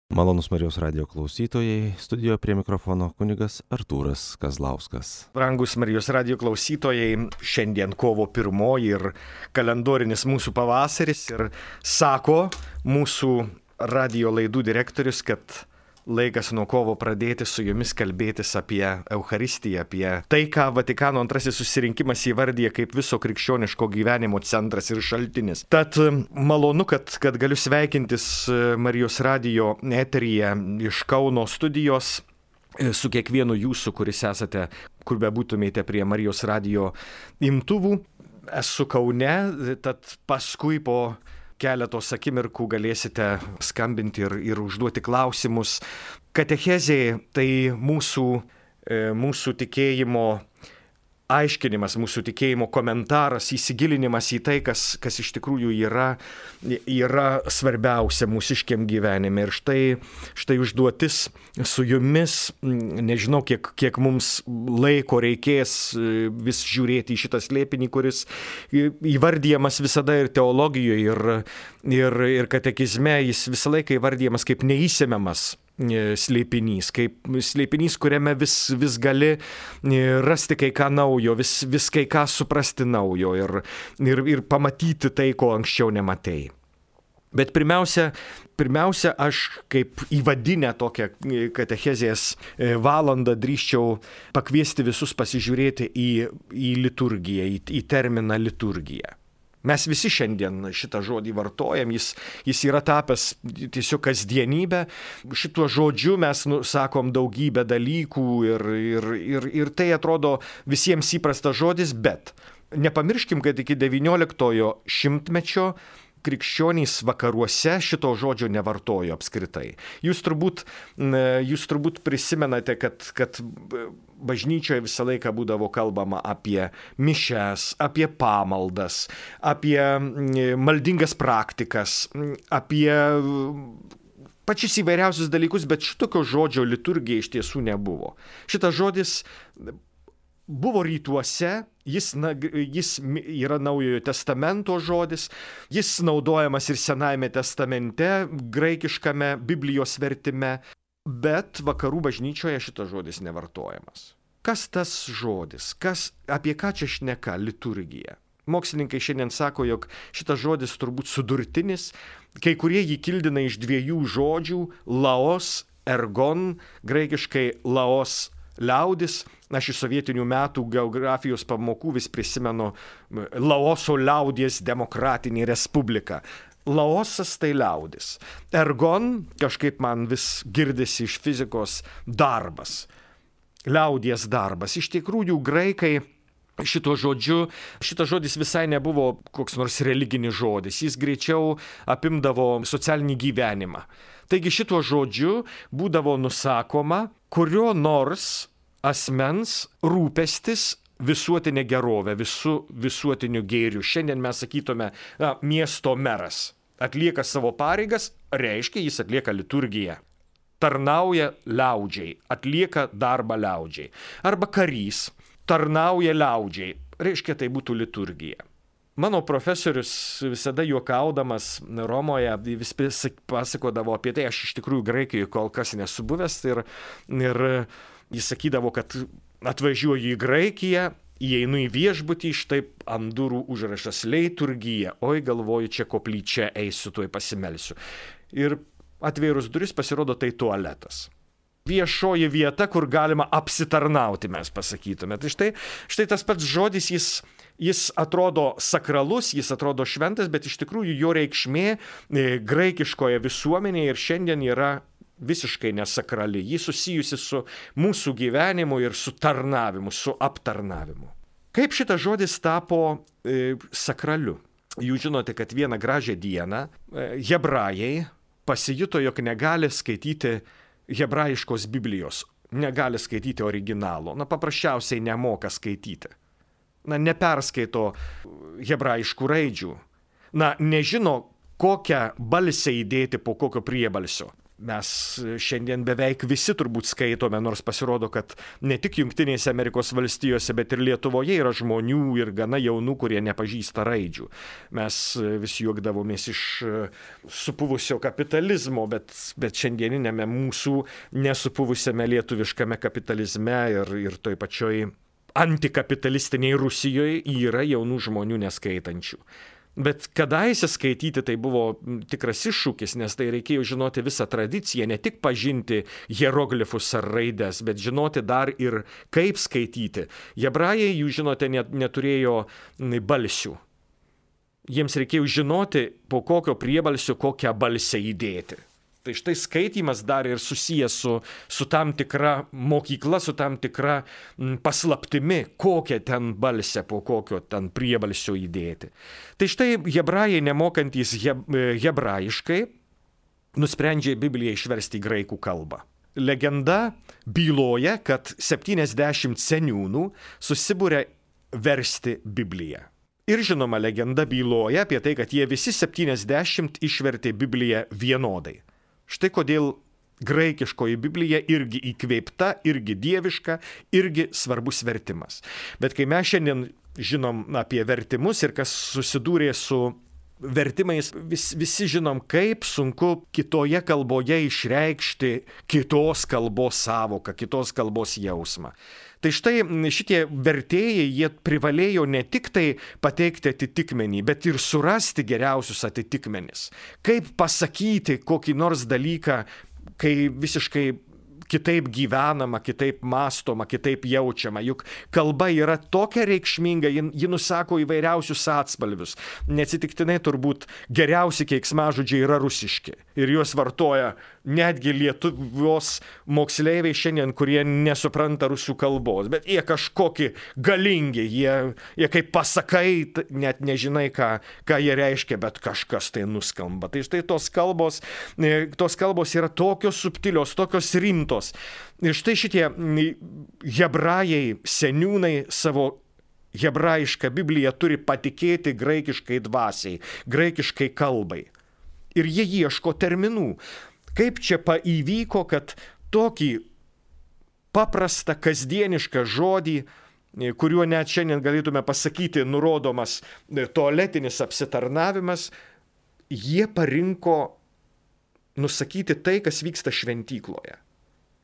Malonus Marijos radijo klausytojai, studijoje prie mikrofono kunigas Artūras Kazlauskas. Brangus Marijos radijo klausytojai, šiandien kovo 1 ir kalendorinis mūsų pavasaris ir sako mūsų radijo laidų direktorius, kad laikas nuo kovo pradėti su jumis kalbėtis apie Eucharistiją, apie tai, ką Vatikano II susirinkimas įvardyja kaip viso krikščioniško gyvenimo centras ir šaltinis. Tad malonu, kad galiu sveikintis Marijos radijo eteryje iš Kauno studijos su kiekvienu jūsų, kuris esate, kur bebūtumėte prie Marijos radijo imtuvų. Esu Kaune, tad paskui po keletos akimirkų galėsite skambinti ir užduoti klausimus. Katechezė tai mūsų tikėjimo aiškinimas, mūsų tikėjimo komentaras, įsigilinimas į tai, kas iš tikrųjų yra svarbiausia mūsiškiam gyvenime. Ir štai užduotis su jumis, nežinau, kiek mums laiko reikės vis žiūrėti į šitą slėpinį, kuris įvardyjamas visada ir teologijoje, ir katekizme, jis visą laiką įvardyjamas kaip neįsemiamas slėpinys, kaip slėpinys, kuriame vis gali rasti kai ką naujo, vis kai ką suprasti naujo ir pamatyti tai, ko anksčiau nematei. Bet pirmiausia, aš kaip įvadinę tokią katechezės valandą drįsčiau pakviesti visus pasižiūrėti į liturgiją, į terminą liturgija. Mes visi šiandien šitą žodį vartojam, jis yra tapęs tiesiog kasdienybė. Šituo žodžiu mes sakom daugybę dalykų ir tai atrodo visiems įprastas žodis, bet nepamirškim, kad iki 19 šimtmečio krikščionys vakaruose šito žodžio nevartojo apskritai. Jūs turbūt prisimenate, kad bažnyčioje visą laiką būdavo kalbama apie mišias, apie pamaldas, apie maldingas praktikas, apie pačius įvairiausius dalykus, bet šitokio žodžio liturgija iš tiesų nebuvo. Šitas žodis buvo rytuose, jis yra Naujojo testamento žodis, jis naudojamas ir Senajame testamente, graikiškame Biblijos vertime, bet vakarų bažnyčioje šitas žodis nevartojamas. Kas tas žodis? Apie ką čia šneka liturgija? Mokslininkai šiandien sako, jog šitas žodis turbūt sudurtinis, kai kurie jį kildina iš dviejų žodžių – laos, ergon, graikiškai laos, liaudis. Aš iš sovietinių metų geografijos pamokų vis prisimenu Laoso liaudies demokratinį respubliką. Laosas tai liaudis. Ergon, kažkaip man vis girdisi iš fizikos, darbas. Liaudies darbas. Iš tikrųjų, graikai šitas žodis visai nebuvo koks nors religinis žodis. Jis greičiau apimdavo socialinį gyvenimą. Taigi šituo žodžiu būdavo nusakoma kurio nors asmens rūpestis visuotinė gerovė, visuotiniu gėriu. Šiandien mes sakytume, miesto meras atlieka savo pareigas, reiškia, jis atlieka liturgiją. Tarnauja liaudžiai, atlieka darbą liaudžiai. Arba karys tarnauja liaudžiai, reiškia, tai būtų liturgija. Mano profesorius visada juokaudamas Romoje vis pasakodavo apie tai, aš iš tikrųjų Graikijoje kol kas nesu buvęs ir jis sakydavo, kad atvažiuoju į Graikiją, įeinu į viešbutį, štai ant durų užrašas liturgija, oi galvoju, čia koplyčia eisiu, tuoj pasimelsiu. Ir atvėrus duris pasirodo tai tualetas. Viešoji vieta, kur galima apsitarnauti, mes pasakytume. Tai štai tas pats žodis, jis atrodo sakralus, jis atrodo šventas, bet iš tikrųjų jo reikšmė graikiškoje visuomenėje ir šiandien yra visiškai nesakrali. Ji susijusi su mūsų gyvenimu ir su tarnavimu, su aptarnavimu. Kaip šitas žodis tapo sakraliu? Jūs žinote, kad vieną gražią dieną hebrajai pasijuto, jog negali skaityti hebrajiškos Biblijos, negali skaityti originalo. Paprasčiausiai nemoka skaityti. Neperskaito hebrajiškų raidžių. Nežino, kokią balsę įdėti po kokio priebalsio. Mes šiandien beveik visi turbūt skaitome, nors pasirodo, kad ne tik Jungtinėse Amerikos valstijose, bet ir Lietuvoje yra žmonių ir gana jaunų, kurie nepažįsta raidžių. Mes vis juokdavomės iš supuvusio kapitalizmo, bet šiandieninėme mūsų nesupuvusiame lietuviškame kapitalizme ir toj pačioj antikapitalistiniai Rusijoje yra jaunų žmonių neskaitančių. Bet kadaise skaityti tai buvo tikras iššūkis, nes tai reikėjo žinoti visą tradiciją, ne tik pažinti hieroglifus ar raides, bet žinoti dar ir kaip skaityti. Hebrajai, jūs žinote, neturėjo balsių. Jiems reikėjo žinoti, po kokio priebalsio kokią balsę įdėti. Tai štai skaitymas dar ir susijęs su tam tikra mokykla, su tam tikra paslaptimi, kokią ten balsę, po kokio ten priebalsio įdėti. Tai štai hebrajai, nemokantys hebrajiškai, nusprendžia Bibliją išversti į graikų kalbą. Legenda byloja, kad 70 seniūnų susibūrė versti Bibliją. Ir žinoma, legenda byloja apie tai, kad jie visi 70 išvertė Bibliją vienodai. Štai kodėl graikiškoji Biblija irgi įkvėpta, irgi dieviška, irgi svarbus vertimas. Bet kai mes šiandien žinom apie vertimus ir kas susidūrė su vertimais, visi žinom, kaip sunku kitoje kalboje išreikšti kitos kalbos savoką, kitos kalbos jausmą. Tai štai šitie vertėjai, jie privalėjo ne tik tai pateikti atitikmenį, bet ir surasti geriausius atitikmenis. Kaip pasakyti kokį nors dalyką, kai visiškai kitaip gyvenama, kitaip mąstoma, kitaip jaučiama. Juk kalba yra tokia reikšminga, ji nusako įvairiausius atspalvius. Neatsitiktinai turbūt geriausi keiksmažodžiai yra rusiški. Ir juos vartoja netgi Lietuvos moksleiviai šiandien, kurie nesupranta rusų kalbos. Bet jie kažkokie galingi, jie kaip pasakai, net nežinai, ką jie reiškia, bet kažkas tai nuskamba. Tai štai tos kalbos yra tokios subtilios, tokios rimtos. Ir štai šitie hebrajai, seniūnai savo hebrajišką Bibliją turi patikėti graikiškai dvasiai, graikiškai kalbai. Ir jie ieško terminų. Kaip čia įvyko, kad tokį paprastą, kasdienišką žodį, kuriuo net šiandien galėtume pasakyti nurodomas tualetinis apsitarnavimas, jie parinko nusakyti tai, kas vyksta šventykloje.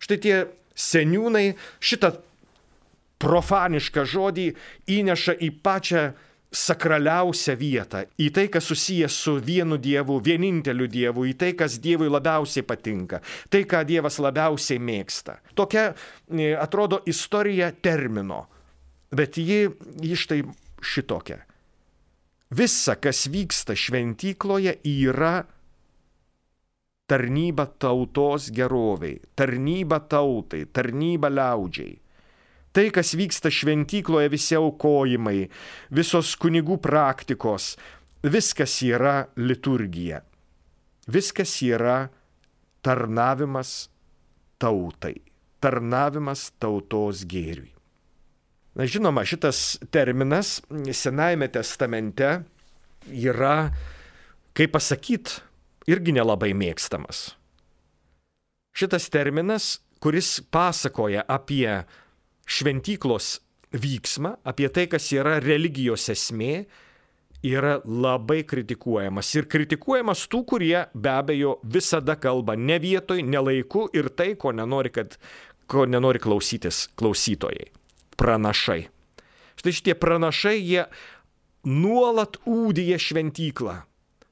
Štai tie seniūnai šitą profanišką žodį įneša į pačią sakraliausią vietą, į tai, kas susijęs su vienu Dievu, vieninteliu Dievu, į tai, kas Dievui labiausiai patinka, tai, ką Dievas labiausiai mėgsta. Tokia, atrodo, istorija termino, bet ji štai šitokia. Visa, kas vyksta šventykloje, yra tarnyba tautos geroviai, tarnyba tautai, tarnyba liaudžiai. Tai, kas vyksta šventykloje, visi aukojimai, visos kunigų praktikos, viskas yra liturgija. Viskas yra tarnavimas tautai, tarnavimas tautos gėriui. Na, žinoma, šitas terminas Senajame testamente yra, kaip pasakyt, irgi nelabai mėgstamas. Šitas terminas, kuris pasakoja apie šventyklos vyksmą, apie tai, kas yra religijos esmė, yra labai kritikuojamas. Ir kritikuojamas tų, kurie be abejo visada kalba ne vietoj, ne laiku ir tai, ko nenori klausytis klausytojai. Pranašai. Štai šitie pranašai, jie nuolat ūdija šventyklą.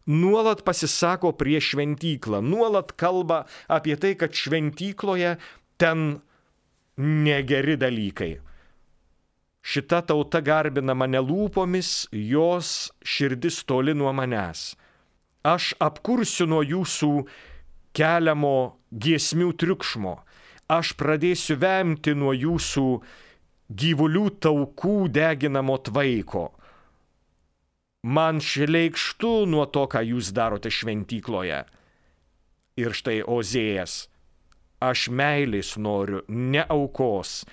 Nuolat pasisako prieš šventyklą. Nuolat kalba apie tai, kad šventykloje ten negeri dalykai. Šita tauta garbina mane lūpomis, jos širdis toli nuo manęs. Aš apkursiu nuo jūsų keliamo giesmių triukšmo. Aš pradėsiu vemti nuo jūsų gyvulių taukų deginamo tvaiko. Man šleikštu nuo to, ką jūs darote šventykloje. Ir štai Ozėjas. Aš meilės noriu, ne aukos,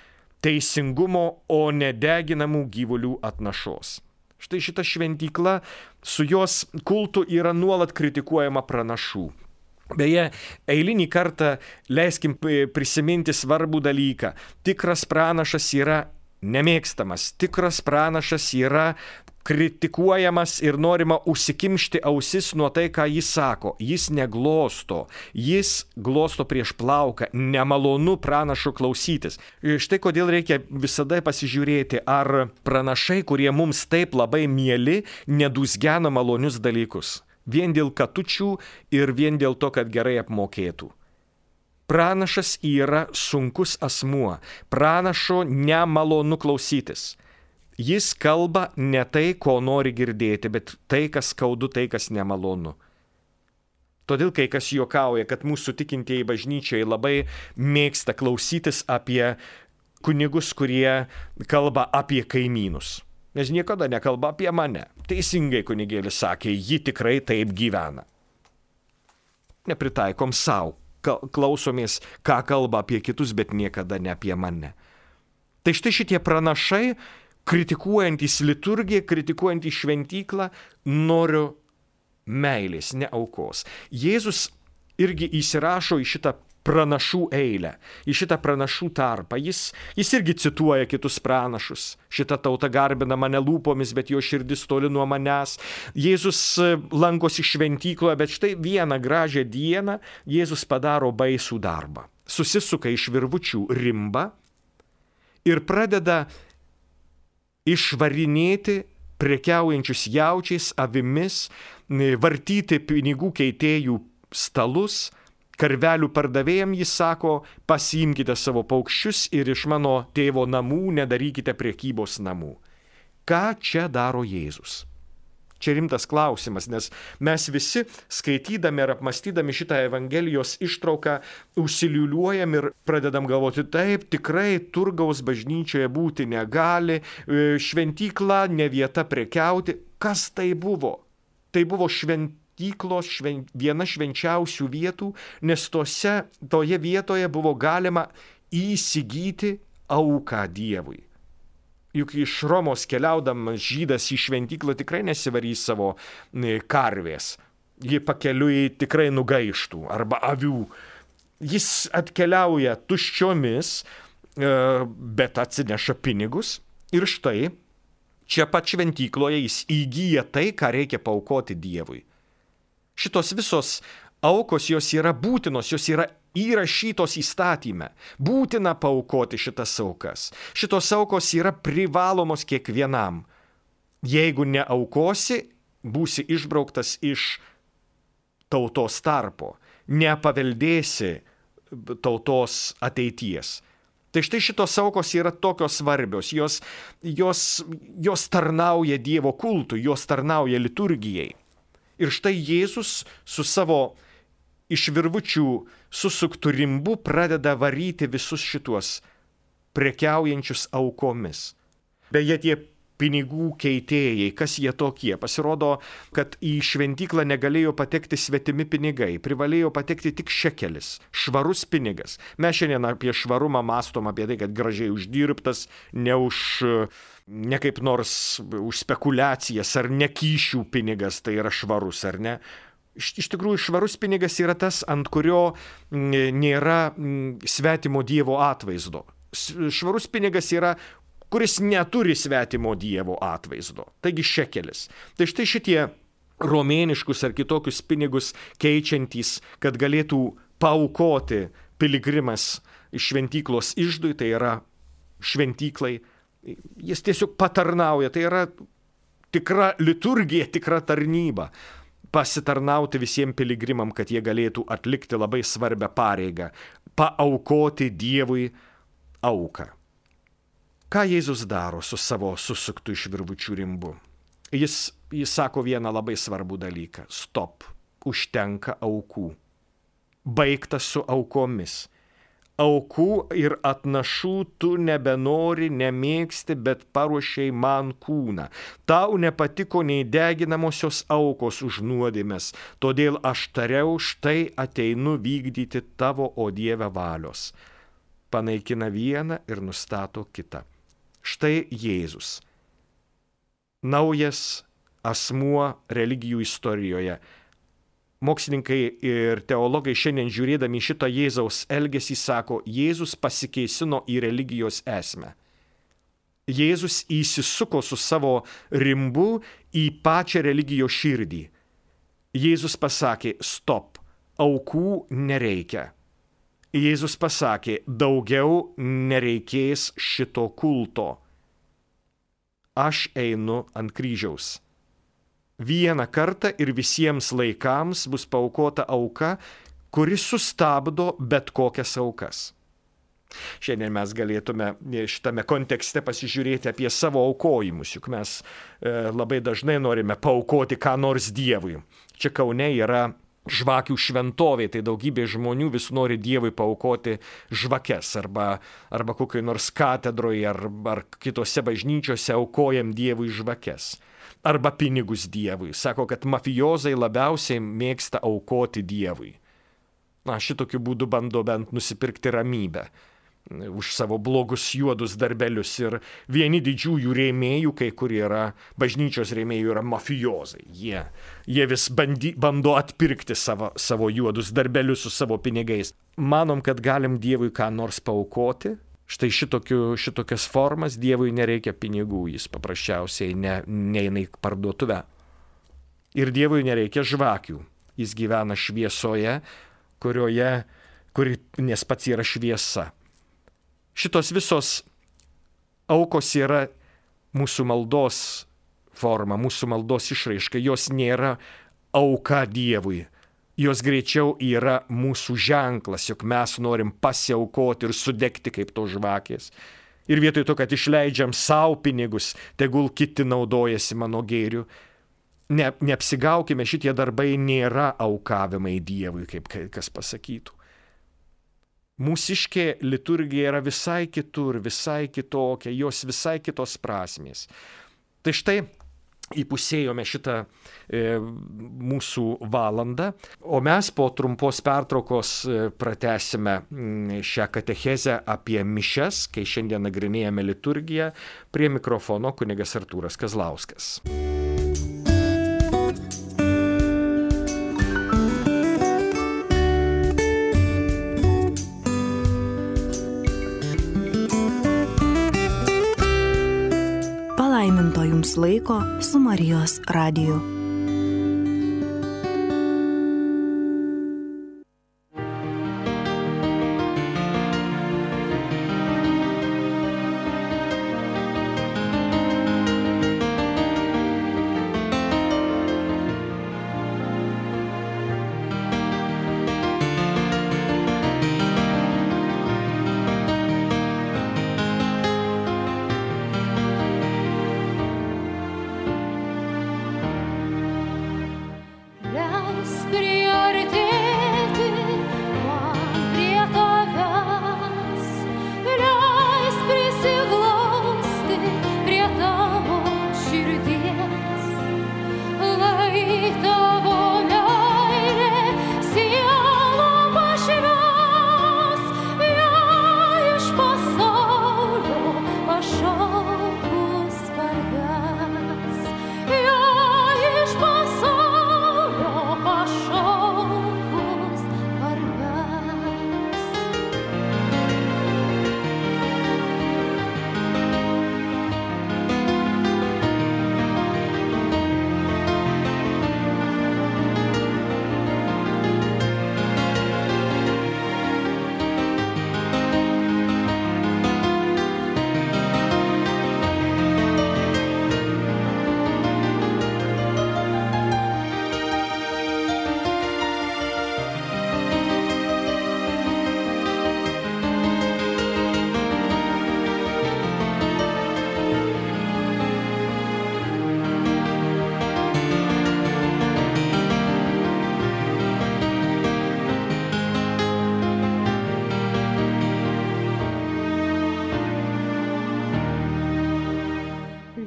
teisingumo, o ne deginamų gyvulių atnašos. Štai šita šventykla, su jos kultu yra nuolat kritikuojama pranašų. Beje, eilinį kartą leiskim prisiminti svarbų dalyką. Tikras pranašas yra nemėgstamas, tikras pranašas yra kritikuojamas ir norima užsikimšti ausis nuo tai, ką jis sako. Jis neglosto, jis glosto prieš plauką, nemalonu pranašo klausytis. Štai kodėl reikia visada pasižiūrėti, ar pranašai, kurie mums taip labai mieli, nedūzgena malonius dalykus. Vien dėl katučių ir vien dėl to, kad gerai apmokėtų. Pranašas yra sunkus asmuo. Pranašo nemalonu klausytis. Jis kalba ne tai, ko nori girdėti, bet tai, kas skaudu, tai, kas nemalonu. Todėl kai kas juokauja, kad mūsų tikintieji bažnyčiai labai mėgsta klausytis apie kunigus, kurie kalba apie kaimynus. Nes niekada nekalba apie mane. Teisingai kunigėlis sakė, ji tikrai taip gyvena. Nepritaikom savo. Klausomės, ką kalba apie kitus, bet niekada ne apie mane. Tai štai šitie pranašai, kritikuojantys liturgiją, kritikuojantys šventyklą, noriu meilės, ne aukos. Jėzus irgi įsirašo į šitą pranašų eilę, į šitą pranašų tarpą. Jis irgi cituoja kitus pranašus. Šita tauta garbina mane lūpomis, bet jo širdis toli nuo manęs. Jėzus lankosi šventykloje, bet štai vieną gražią dieną Jėzus padaro baisų darbą. Susisuka iš virvučių rimbą ir pradeda išvarinėti prekiaujančius jaučiais, avimis, vartyti pinigų keitėjų stalus. Karvelių pardavėjams jis sako, pasiimkite savo paukščius ir iš mano tėvo namų nedarykite prekybos namų. Ką čia daro Jėzus? Čia rimtas klausimas, nes mes visi skaitydami ir apmastydami šitą Evangelijos ištrauką užsiliuliuojam ir pradedam galvoti, taip, tikrai turgaus bažnyčioje būti negali, šventykla ne vieta prekiauti. Kas tai buvo? Tai buvo viena švenčiausių vietų, nes toje vietoje buvo galima įsigyti auką Dievui. Juk iš Romos keliaudamas žydas į šventyklą tikrai nesivarys savo karvės. Ji pakeliui tikrai nugaištų arba avių. Jis atkeliauja tuščiomis, bet atsineša pinigus ir štai čia pat šventykloje jis įgyja tai, ką reikia paaukoti Dievui. Šitos visos aukos, jos yra būtinos, jos yra įrašytos įstatyme. Būtina paaukoti šitas aukas. Šitos aukos yra privalomos kiekvienam. Jeigu neaukosi, būsi išbrauktas iš tautos tarpo. Nepaveldėsi tautos ateities. Tai štai šitos aukos yra tokios svarbios. Jos tarnauja Dievo kultui, jos tarnauja liturgijai. Ir štai Jėzus su savo iš virvučių susuktų rimbu pradeda varyti visus šituos prekiaujančius aukomis. Beje, tie pinigų keitėjai, kas jie tokie? Pasirodo, kad į šventyklą negalėjo patekti svetimi pinigai, privalėjo patekti tik šekelis, švarus pinigas. Mes šiandien apie švarumą mąstom apie tai, kad gražiai uždirbtas, ne kaip nors už spekulacijas ar nekyšių pinigas, tai yra švarus, ar ne? Iš tikrųjų, švarus pinigas yra tas, ant kurio nėra svetimo Dievo atvaizdo. Švarus pinigas yra, kuris neturi svetimo Dievo atvaizdo. Taigi šekelis. Tai štai šitie romėniškus ar kitokius pinigus keičiantys, kad galėtų paaukoti piligrimas iš šventyklos iždui, tai yra šventyklai, jis tiesiog patarnauja, tai yra tikra liturgija, tikra tarnyba. Pasitarnauti visiems piligrimam, kad jie galėtų atlikti labai svarbią pareigą, paaukoti Dievui auką. Ką Jėzus daro su savo susuktų iš virvučių rimbu? Jis sako vieną labai svarbų dalyką. Stop, užtenka aukų. Baigta su aukomis. Aukų ir atnašų tu nebenori, nemėgsti, bet paruošei man kūną. Tau nepatiko nei deginamosios aukos už nuodėmes, todėl aš tariau, štai ateinu vykdyti tavo, o Dieve, valios. Panaikina vieną ir nustato kitą. Štai Jėzus. Naujas asmuo religijų istorijoje. Mokslininkai ir teologai šiandien žiūrėdami šitą Jėzaus elgesį sako, Jėzus pasikeisino į religijos esmę. Jėzus įsisuko su savo rimbu į pačią religijos širdį. Jėzus pasakė, stop, aukų nereikia. Jėzus pasakė, daugiau nereikės šito kulto. Aš einu ant kryžiaus. Vieną kartą ir visiems laikams bus paaukota auka, kuri sustabdo bet kokias aukas. Šiandien mes galėtume šitame kontekste pasižiūrėti apie savo aukojimus, juk mes labai dažnai norime paaukoti ką nors Dievui. Čia Kaune yra žvakių šventovė, tai daugybė žmonių vis nori Dievui paaukoti žvakes arba kokioj nors katedroje ar kitose bažnyčiose aukojam Dievui žvakes. Arba pinigus Dievui. Sako, kad mafijozai labiausiai mėgsta aukoti Dievui. Šitokiu būdu bando bent nusipirkti ramybę už savo blogus juodus darbelius. Ir vieni didžiųjų rėmėjų, kai kur yra, bažnyčios rėmėjų yra mafijozai. Jie vis bando atpirkti savo juodus darbelius su savo pinigais. Manom, kad galim Dievui ką nors paaukoti. Štai šitokias formas Dievui nereikia pinigų, jis paprasčiausiai neina į parduotuvę. Ir Dievui nereikia žvakių. Jis gyvena šviesoje, nes pats yra šviesa. Šitos visos aukos yra mūsų maldos forma, mūsų maldos išraiška. Jos nėra auka Dievui. Jos greičiau yra mūsų ženklas, jog mes norim pasiaukoti ir sudegti kaip to žvakės. Ir vietoj to, kad išleidžiam savo pinigus, tegul kiti naudojasi mano gėriu. Neapsigaukime, šitie darbai nėra aukavimai Dievui, kaip kas pasakytų. Mūsiškė liturgija yra visai kitur, visai kitokia, jos visai kitos prasmės. Tai štai įpusėjome šitą mūsų valandą, o mes po trumpos pertraukos pratęsime šią katechezę apie mišias, kai šiandien nagrinėjame liturgiją. Prie mikrofono kunigas Artūras Kazlauskas. Palaiminto jums laiko su Marijos radiju.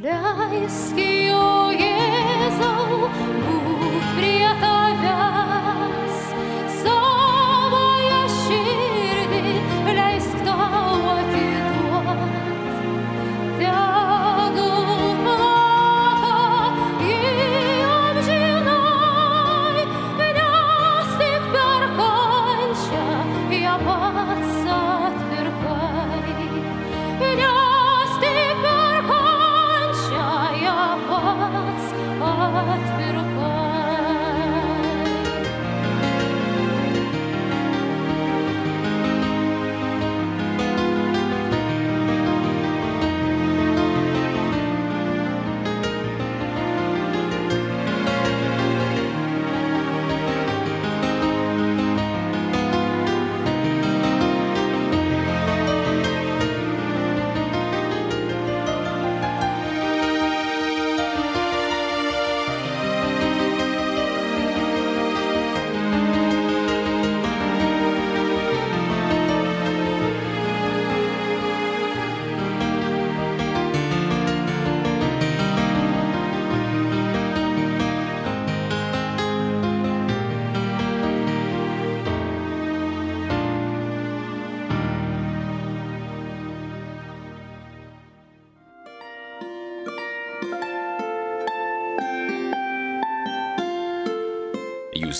Leisk, o Jėzau, būt prie tavęs, savąją širdį leisk tau atiduot. Tegul plaka ji amžinai,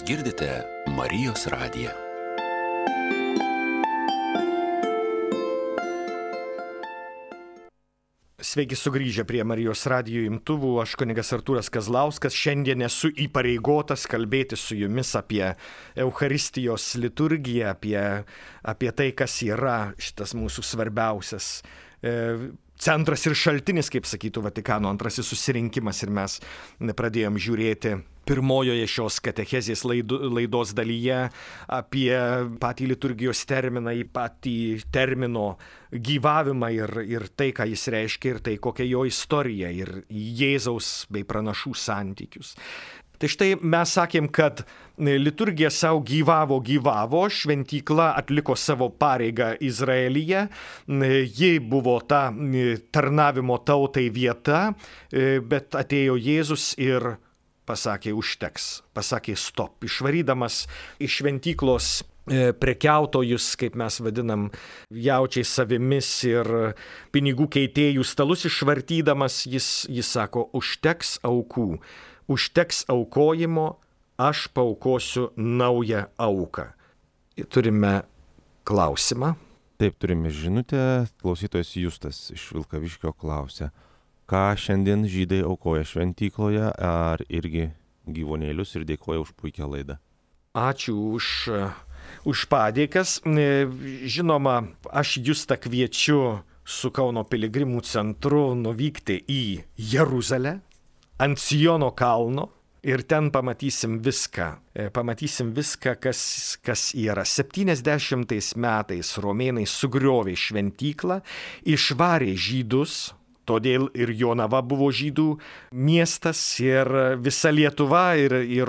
girdite Marijos radiją. Sveiki sugrįžę prie Marijos radijo imtuvų, aš kunigas Artūras Kazlauskas. Šiandien esu įpareigotas kalbėti su jumis apie Eucharistijos liturgiją, apie tai, kas yra šitas mūsų svarbiausias centras ir šaltinis, kaip sakytų Vatikano antrasis susirinkimas. Ir mes pradėjom žiūrėti pirmojoje šios katechezės laidos dalyje apie patį liturgijos terminą, į patį termino gyvavimą ir tai, ką jis reiškia, ir tai, kokia jo istorija, ir Jėzaus bei pranašų santykius. Tai štai mes sakėm, kad liturgija savo gyvavo, šventykla atliko savo pareigą Izraelyje, ji buvo ta tarnavimo tautai vieta, bet atėjo Jėzus ir pasakė užteks, pasakė stop, išvarydamas iš šventyklos prekiautojus, kaip mes vadinam, jaučiais savimis ir pinigų keitėjų stalus išvartydamas, jis sako, užteks aukų. Užteks aukojimo, aš paaukosiu naują auką. Turime klausimą. Taip, turime žinutę. Klausytojas Justas iš Vilkaviškio klausia, ką šiandien žydai aukoja šventykloje, ar irgi gyvūnėlius, ir dėkoja už puikią laidą. Ačiū už padėkas. Žinoma, aš Justą kviečiu su Kauno piligrimų centru nuvykti į Jeruzalę, ant Siono kalno, ir ten pamatysim viską. Pamatysim viską, kas yra. 70 metais romėnai sugriovė šventyklą, išvarė žydus, todėl ir Jonava buvo žydų miestas, ir visa Lietuva,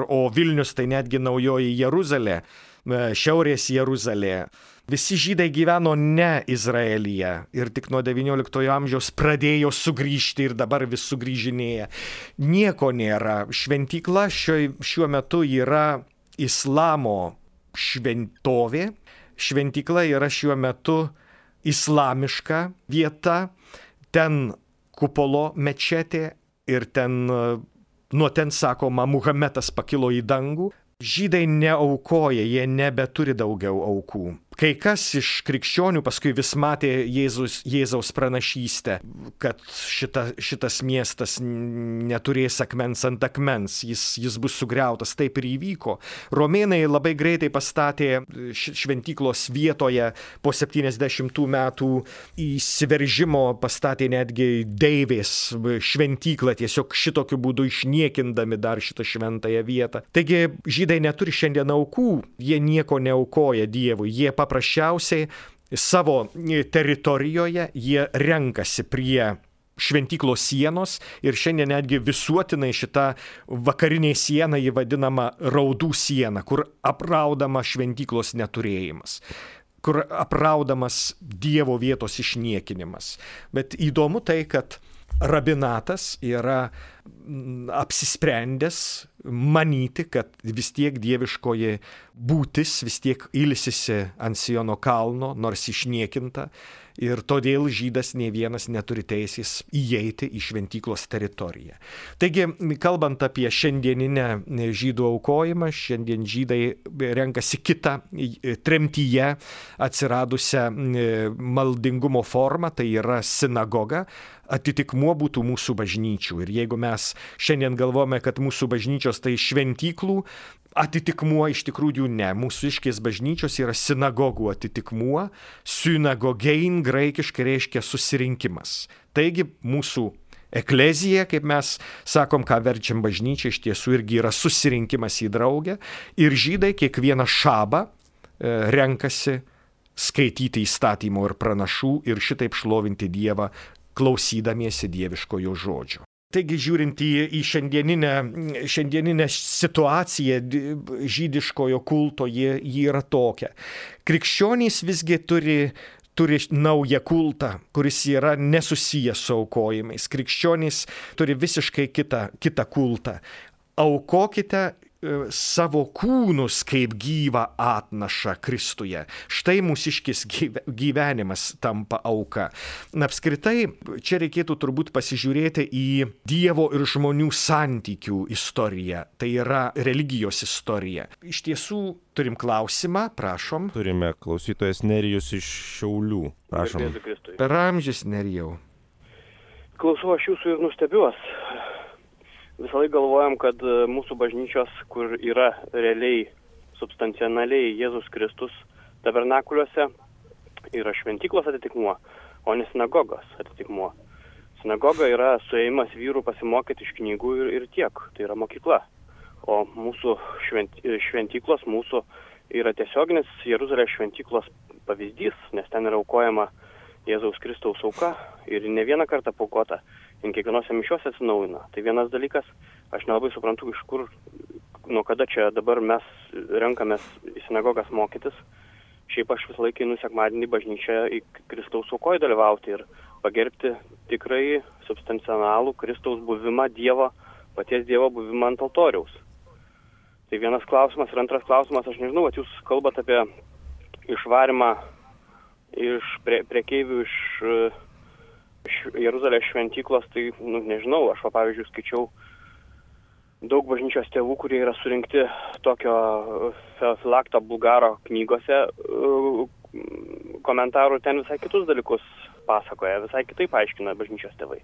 o Vilnius tai netgi naujoji Jeruzalė, šiaurės Jeruzalė. Visi žydai gyveno ne Izraelyje ir tik nuo XIX amžiaus pradėjo sugrįžti ir dabar vis sugrįžinėja. Nieko nėra. Šventykla šiuo metu yra islamo šventovė. Šventykla yra šiuo metu islamiška vieta. Ten kupolo mečetė ir nuo ten, sakoma, Muhamedas pakilo į dangų. Žydai neaukoja, jie nebeturi daugiau aukų. Kai kas iš krikščionių paskui vis matė Jėzaus pranašystę, kad šitas miestas neturės akmens ant akmens, jis bus sugriautas. Taip ir įvyko. Romėnai labai greitai pastatė šventyklos vietoje po 70 metų įsiveržimo, pastatė netgi deivės šventyklą, tiesiog šitokiu būdu išniekindami dar šitą šventąją vietą. Taigi žydai neturi šiandien aukų, jie nieko neaukoja Dievui, jie paprasčiausiai savo teritorijoje jie renkasi prie šventyklos sienos, ir šiandien netgi visuotinai šita vakarinė siena jį vadinama raudų siena, kur apraudama šventyklos neturėjimas, kur apraudamas Dievo vietos išniekinimas. Bet įdomu tai, kad rabinatas yra apsisprendęs manyti, kad vis tiek dieviškoji būtis vis tiek ilsisi ant Siono kalno, nors išniekinta, ir todėl žydas nei vienas neturi teisės įeiti į šventyklos teritoriją. Taigi, kalbant apie šiandieninę žydų aukojimą, šiandien žydai renkasi kitą tremtyje atsiradusią maldingumo formą, tai yra sinagoga. Atitikmuo būtų mūsų bažnyčių. Ir jeigu mes šiandien galvojame, kad mūsų bažnyčios tai šventyklų atitikmuo, iš tikrųjų ne. Mūsiškės bažnyčios yra sinagogų atitikmuo. Synagogein graikiškai reiškia susirinkimas. Taigi mūsų eklezija, kaip mes sakom, ką verčiam bažnyčia, iš tiesų irgi yra susirinkimas į draugę. Ir žydai kiekvieną šabą renkasi skaityti įstatymų ir pranašų ir šitaip šlovinti Dievą, klausydamiesi dieviškojo žodžio. Taigi, žiūrint į šiandieninę situaciją žydiškojo kulto, ji yra tokia. Krikščionys visgi turi naują kultą, kuris yra nesusijęs su aukojimais. Krikščionys turi visiškai kitą kultą. Aukokite savo kūnus kaip gyvą atnašą Kristuje. Štai mūsiškis gyvenimas tampa auka. Apskritai, čia reikėtų turbūt pasižiūrėti į Dievo ir žmonių santykių istoriją. Tai yra religijos istorija. Iš tiesų, turim klausimą, prašom. Turime klausytojas Nerijus iš Šiaulių. Prašom. Per amžius, Nerijau. Klausau aš jūsų ir nustebiuos. Visą laiką galvojam, kad mūsų bažnyčios, kur yra realiai, substancionaliai Jėzus Kristus tabernakuliuose, yra šventyklos atitikmuo, o ne sinagogos atitikmuo. Sinagoga yra suėjimas vyrų pasimokyti iš knygų ir tiek, tai yra mokykla. O mūsų šventyklos mūsų yra tiesioginis Jeruzalės šventyklos pavyzdys, nes ten yra aukojama Jėzaus Kristaus auka ir ne vieną kartą paukota, ir kiekvienose mišiuose atsinaujina. Tai vienas dalykas, aš nelabai suprantu, iš kur, nuo kada čia dabar mes renkamės į sinagogas mokytis. Šiaip aš visą laiką einu sekmadienį bažnyčią į Kristaus aukoje dalyvauti ir pagerbti tikrai substancionalų Kristaus buvimą Dievo, paties Dievo buvimą ant altoriaus. Tai vienas klausimas ir antras klausimas, aš nežinau, kad jūs kalbat apie išvarimą iš prekeivių iš Jeruzalės šventyklos, tai nežinau, aš pavyzdžiui skaičiau daug bažnyčios tėvų, kurie yra surinkti tokio Filakto Bulgaro knygose komentarų, ten visai kitus dalykus pasakoja, visai kitaip aiškina bažnyčios tėvai.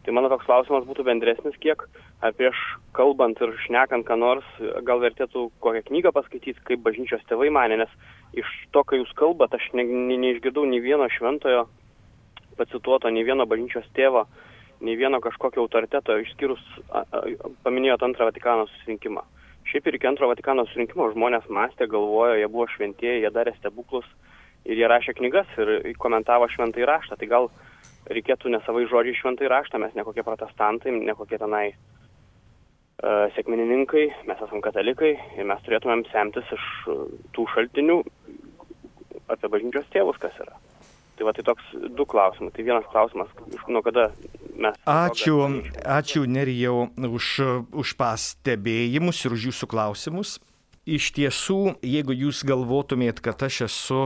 Tai mano toks klausimas būtų bendresnis kiek, ar prieš kalbant ir šnekant ką nors, gal vertėtų kokią knygą paskaityti, kaip bažnyčios tėvai mane, nes iš to, kai jūs kalbat, aš neišgirdau nei vieno šventojo pacituoto, nei vieno bažnyčios tėvo, nei vieno kažkokio autoriteto, išskyrus, paminėjot antrą Vatikano susirinkimą. Šiaip ir iki antro Vatikano susirinkimo žmonės mąstė, galvojo, jie buvo šventieji, jie darė stebuklus ir jie rašė knygas ir komentavo šventąjį raštą. Tai gal reikėtų ne savai žodžiai šventąjį raštą, mes ne kokie protestantai, ne kokie tenai sekminininkai, mes esam katalikai ir mes turėtumėm semtis iš tų šaltinių apie bažnyčios tėvus, kas yra. Tai va, tai toks du klausimai. Tai vienas klausimas, nuo kada mes... Ačiū Nerijau už pastebėjimus ir už jūsų klausimus. Iš tiesų, jeigu jūs galvotumėt, kad aš esu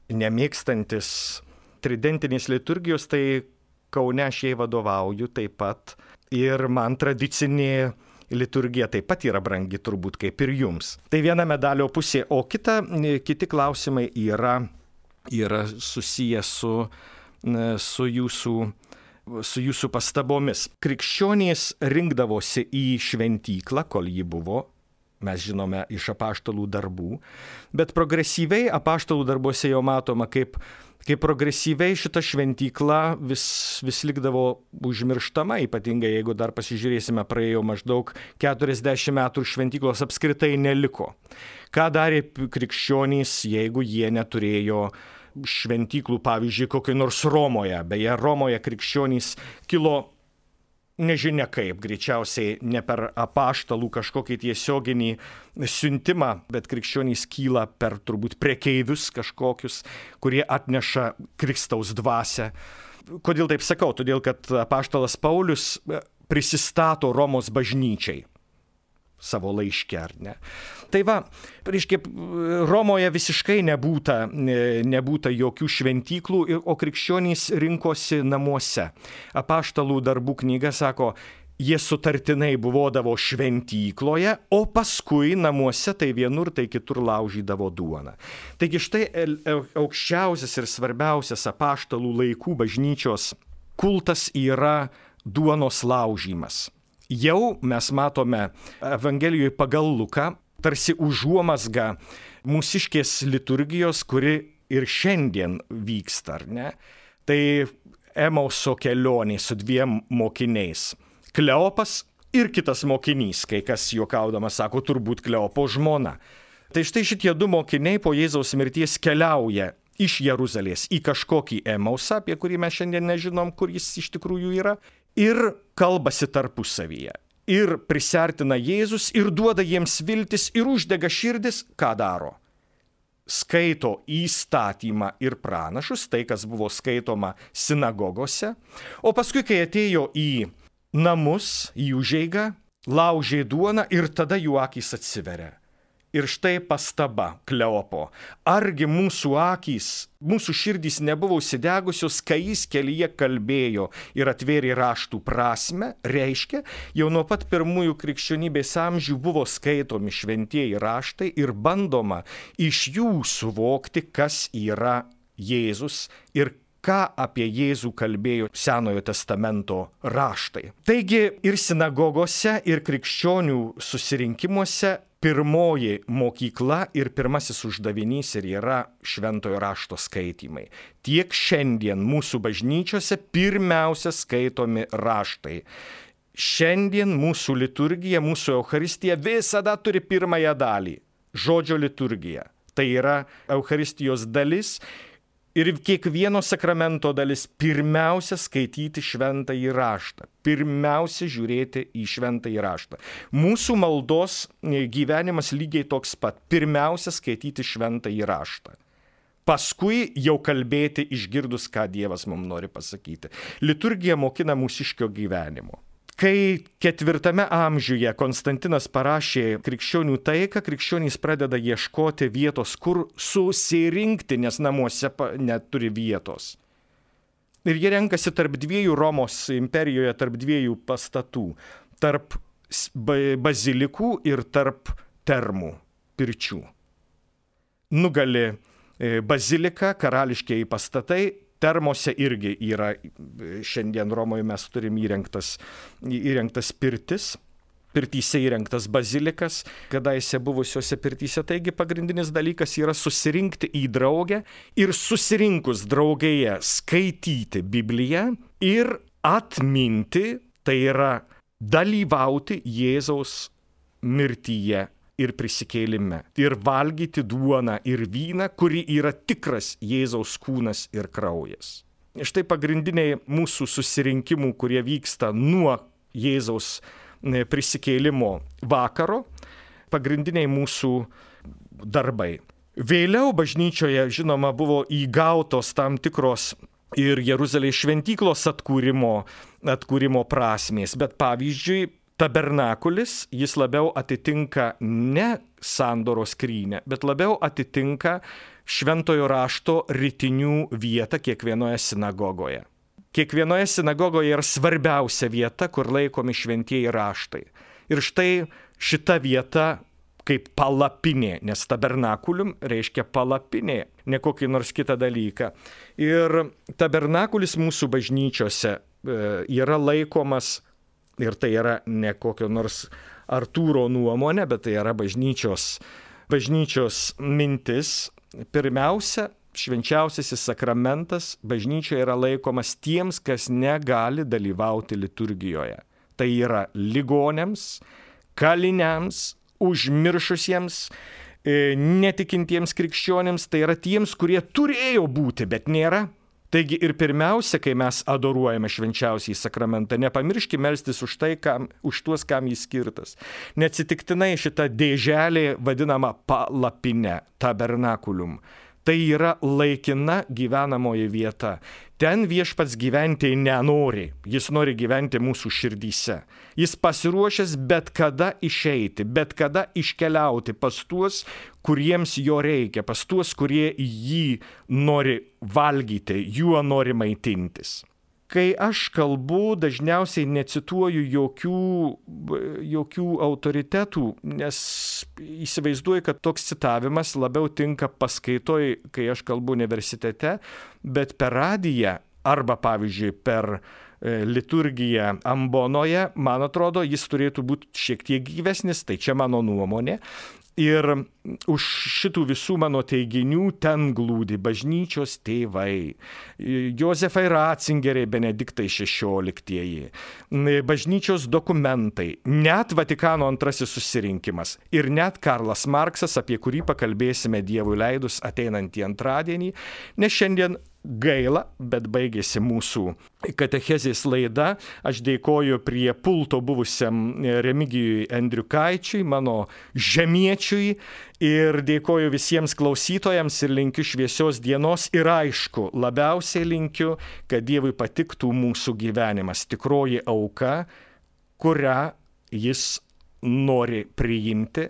nemėgstantis tridentinės liturgijos, tai Kaune aš jai vadovauju taip pat. Ir man tradicinė liturgija taip pat yra brangi turbūt kaip ir jums. Tai viena medalio pusė, o kiti klausimai yra susiję su jūsų pastabomis. Krikščionys rinkdavosi į šventyklą, kol ji buvo, mes žinome iš apaštalų darbų, bet progresyviai apaštalų darbuose jau matoma, kaip progresyviai šita šventykla vis likdavo užmirštama, ypatingai jeigu dar pasižiūrėsime, praėjo maždaug 40 metų ir šventyklos apskritai neliko. Ką darė krikščionys, jeigu jie neturėjo šventyklų, pavyzdžiui, kokiai nors Romoje. Beje, Romoje krikščionys kilo nežinia kaip, greičiausiai ne per apaštalų kažkokį tiesioginį siuntimą, bet krikščionys kyla per turbūt prekeivius kažkokius, kurie atneša Kristaus dvasią. Kodėl taip sakau? Todėl, kad apaštalas Paulius prisistato Romos bažnyčiai savo laiške, ar ne? Tai va, reiškia, Romoje visiškai nebūta jokių šventyklų, o krikščionys rinkosi namuose. Apaštalų darbų knyga sako, jie sutartinai buvodavo šventykloje, o paskui namuose tai vienur, tai kitur laužydavo duoną. Taigi štai aukščiausias ir svarbiausias apaštalų laikų bažnyčios kultas yra duonos laužymas. Jau mes matome Evangelijoje pagal Luką tarsi užuomazgą mūsiškės liturgijos, kuri ir šiandien vyksta, ar ne? Tai Emauso kelionė su dviem mokiniais. Kleopas ir kitas mokinys, kai kas juokaudamas sako, turbūt Kleopo žmona. Tai štai šitie du mokiniai po Jėzaus mirties keliauja iš Jeruzalės į kažkokį Emausą, apie kurį mes šiandien nežinom, kur jis iš tikrųjų yra, ir kalbasi tarpusavyje. Ir prisertina Jėzus ir duoda jiems viltis ir uždega širdis, ką daro? Skaito įstatymą ir pranašus, tai kas buvo skaitoma sinagogose, o paskui, kai atėjo į namus, į užeigą, laužė duoną ir tada jų akys atsiveria. Ir štai pastaba Kleopo. Argi mūsų akys, mūsų širdys nebuvo užsidegusios, kai jis kelyje kalbėjo ir atvėrė raštų prasme, reiškia, jau nuo pat pirmųjų krikščionybės amžių buvo skaitomi šventieji raštai ir bandoma iš jų suvokti, kas yra Jėzus ir ką apie Jėzų kalbėjo Senojo testamento raštai. Taigi ir sinagogose, ir krikščionių susirinkimuose pirmoji mokykla ir pirmasis uždavinys ir yra šventojo rašto skaitymai. Tiek šiandien mūsų bažnyčiose pirmiausia skaitomi raštai. Šiandien mūsų liturgija, mūsų Eucharistija visada turi pirmąją dalį – žodžio liturgija. Tai yra Eucharistijos dalis. Ir kiekvieno sakramento dalis pirmiausia skaityti šventąjį raštą, pirmiausia žiūrėti į šventąjį raštą. Mūsų maldos gyvenimas lygiai toks pat, pirmiausia skaityti šventąjį raštą. Paskui jau kalbėti išgirdus, ką Dievas mums nori pasakyti. Liturgija mokina mūsiškio gyvenimo. Kai 4 amžiuje Konstantinas parašė krikščionių taiką, krikščionys pradeda ieškoti vietos, kur susirinkti, nes namuose neturi vietos. Ir jie renkasi tarp dviejų Romos imperijoje, tarp dviejų pastatų, tarp bazilikų ir tarp termų, pirčių. Nugali bazilika, karališkieji pastatai. Termose irgi yra, šiandien Romoje mes turim įrengtas pirtis, pirtyse įrengtas bazilikas, kadaise buvusiuose pirtyse. Taigi pagrindinis dalykas yra susirinkti į draugę ir susirinkus draugėje skaityti Bibliją ir atminti, tai yra dalyvauti Jėzaus mirtyje ir prisikėlime. Ir valgyti duoną ir vyną, kuri yra tikras Jėzaus kūnas ir kraujas. Štai pagrindiniai mūsų susirinkimų, kurie vyksta nuo Jėzaus prisikėlimo vakaro, pagrindiniai mūsų darbai. Vėliau bažnyčioje, žinoma, buvo įgautos tam tikros ir Jeruzalės šventyklos atkūrimo prasmės, bet pavyzdžiui, tabernakulis, jis labiau atitinka ne sandoros skrynią, bet labiau atitinka šventojo rašto rytinių vietą kiekvienoje sinagogoje. Kiekvienoje sinagogoje yra svarbiausia vieta, kur laikomi šventieji raštai. Ir štai šita vieta kaip palapinė, nes tabernakulium reiškia palapinė, ne kokį nors kitą dalyką. Ir tabernakulis mūsų bažnyčiose yra laikomas. Ir tai yra ne kokio nors Artūro nuomonė, bet tai yra bažnyčios mintis. Pirmiausia, švenčiausiasis sakramentas bažnyčioje yra laikomas tiems, kas negali dalyvauti liturgijoje. Tai yra ligonėms, kaliniams, užmiršusiems, netikintiems krikščionėms, tai yra tiems, kurie turėjo būti, bet nėra. Taigi ir pirmiausia, kai mes adoruojame švenčiausiąjį sakramentą, nepamirškime melstis už tuos, kam jis skirtas. Neatsitiktinai šita dėželė vadinama palapine, tabernakulium. Tai yra laikina gyvenamoji vieta. Ten viešpats gyventi nenori, jis nori gyventi mūsų širdyse. Jis pasiruošęs bet kada išeiti, bet kada iškeliauti pas tuos, kuriems jo reikia, pas tuos, kurie jį nori valgyti, juo nori maitintis. Kai aš kalbu, dažniausiai necituoju jokių autoritetų, nes įsivaizduoju, kad toks citavimas labiau tinka paskaitoj, kai aš kalbu universitete, bet per radiją arba, pavyzdžiui, per liturgiją ambonoje, man atrodo, jis turėtų būti šiek tiek gyvesnis, tai čia mano nuomonė. Ir už šitų visų mano teiginių ten glūdi bažnyčios tėvai, Jozefai Ratzingeriai, Benediktai XVI, bažnyčios dokumentai, net Vatikano antrasis susirinkimas ir net Karlas Marksas, apie kurį pakalbėsime Dievui leidus ateinantį antradienį, nes šiandien gaila, bet baigėsi mūsų katechezės laida. Aš dėkoju prie pulto buvusiam Remigijui Endriukaičiui, mano žemiečiui, ir dėkoju visiems klausytojams ir linkiu šviesios dienos ir aišku, labiausiai linkiu, kad Dievui patiktų mūsų gyvenimas, tikroji auka, kurią jis nori priimti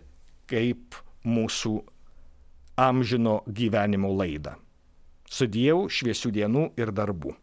kaip mūsų amžino gyvenimo laidą. Su Dievu, šviesių dienų ir darbų.